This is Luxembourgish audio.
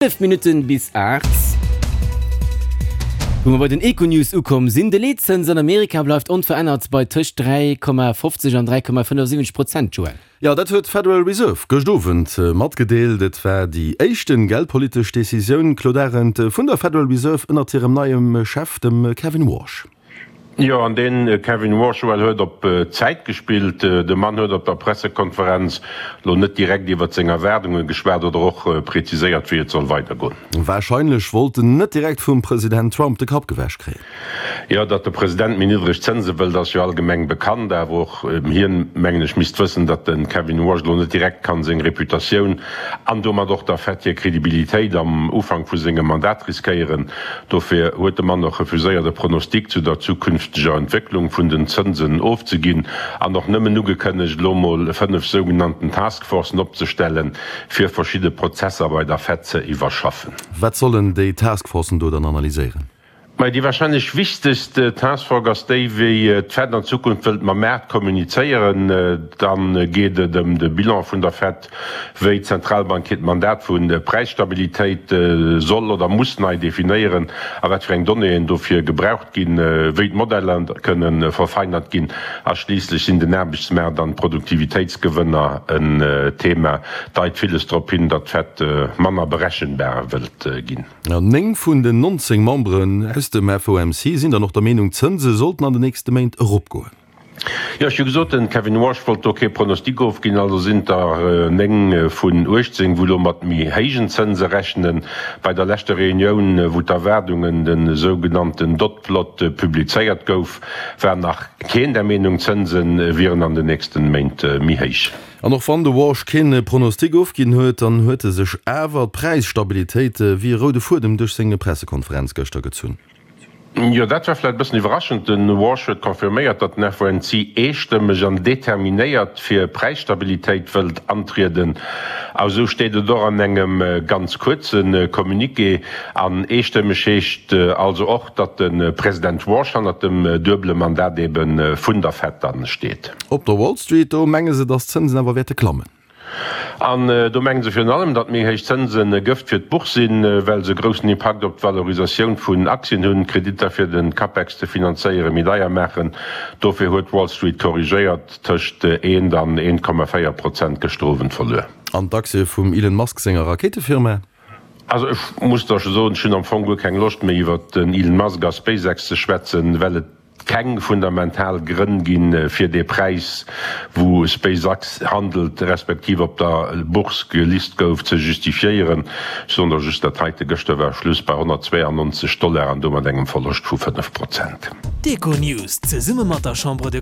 11 Minutten bis 8, wou mer bei den Econews ukomm sinn. De Leetzëns an Amerika bleift onverännert bei tëscht 3,50 an 3,75 Prozent, Joël. Jo, dat huet d'Federal Reserve gëscht Owend matgedeelt. Et war déi éischten geldpolitesch Decisioun, Claude Arend, vun der Federal Reserve ënnert hirem neiem Chef, dem Kevin Warsh. Jo, an dee Kevin Warsh huet op Zäit gespillt. De Mann huet op der Pressekonferenz lo net direkt iwwert seng Erwaardunge geschwat oder och preziséiert, wéi et soll weidergoen. Warscheinlech wollt en net direkt vum President Trump de Kapp gewäsch kréien. Jo, datt de President méi niddreg Zënse wëllt, ass jo allgemeng bekannt. Awer och hien, mengen ech, misst wëssen, datt de Kevin Warsh lo net direkt kann seng Reputatioun an domat och der Fed hir Kredibilitéit am Ufank vu sengem Mandat riskéieren. Dofir huet de Mann och refuséiert, e Pronostic zu der zukünfteger Entwécklung vun den Zënsen ofzeginn an och nëmmen ugekënnegt, elo mol 5 sougenannten Taskforcen opzestellen, fir verschidde Prozesser bei der Fed ze iwwerschaffen. Wat sollen déi Taskforcen do dann analyséieren? Mä déi warscheinlech wichtegst Taskforce ass déi, wéi d'Fed an Zukunft wëllt mam Maart kommunizéieren. Da geet et ëm de Bilan vun der Fed, wéi d'Zentralbank hiert Mandat vu Präisstabilitéit soll oder muss nei definéieren a wat fir eng Donnéeën dofir gebraucht ginn, wéi d'Modeller kënne verfeinert ginn a schliisslech sinn den Aarbechtsmaart an d'Produktivitéitsgewënner en Thema. Deit villes drop hin, datt d'Fed manner berechenbar wëllt ginn. 9 vun den 19 Memberen aus dem FOMC sinn dann och der Meenung, d'Zënse sollten an den nächste Méint eropgoen. Jo, ech hu gesot, den Kevin Warsh wollt do kee Pronostic ofginn, also sinn et der 9 vun 18, wou elo mat méi héijen Zënse rechnen. Bei der leschter Reunioun, wou d'Erwaardungen, de sougenannten Dot Plot, publizéiert gouf, war nach keen der Meenung, d'Zënse wieren an den nächsten Méint méi héich. An och wann de Warsh keen Pronostic ofginn huet, dann huet e sech awer d'Präisstabilitéit wéi e roude Fuedem duerch seng Pressekonferenz gëschter gezunn. Jo, dat war vläit e bëssen iwwerraschend. De Warsh huet confirméiert, datt den FOMC eestëmmeg an determinéiert fir Präisstabilitéit wëllt antrieden. A sou steet et och an engem ganz kuerze Communiqué. An eestëmmeg heescht also och, datt de President Warsh hannert dem duebele Mandat ebe vun der Fed dann steet. Op der Wall Street, do menge se, datt d'Zënsen awer wäerte klammen. An do menge se virun allem, datt méi héich Zënsen e Gëft fir d'Bourse sinn, well se e groussen Impakt op d'Valorisatioun vun Aktien hunn, d'Kreditter fir de Capex ze finanzéiere méi deier maachen. Dofir huet d'Wall Street korrigéiert, tëscht eent an 1,4 Prozent gëschter Owend verluer. An d'Aktie vum Elon Musk senger Rakéitefirma? Also ech muss der scho soen, ech hunn am Fong guer keng Loscht méi iwwert den Elon Musk a SpaceX ze schwätzen, well et keng fundamental Grënn ginn, fir dee Präis, wou SpaceX handelt, respektiv op der Bourse gelist gouf, ze justifiéieren. Ech soen der just dat heite, Gëschter war Schluss bei 192 Dollar an domat engem Verloscht vu 5 Prozent. D'Econews zesumme mat der Chambre de.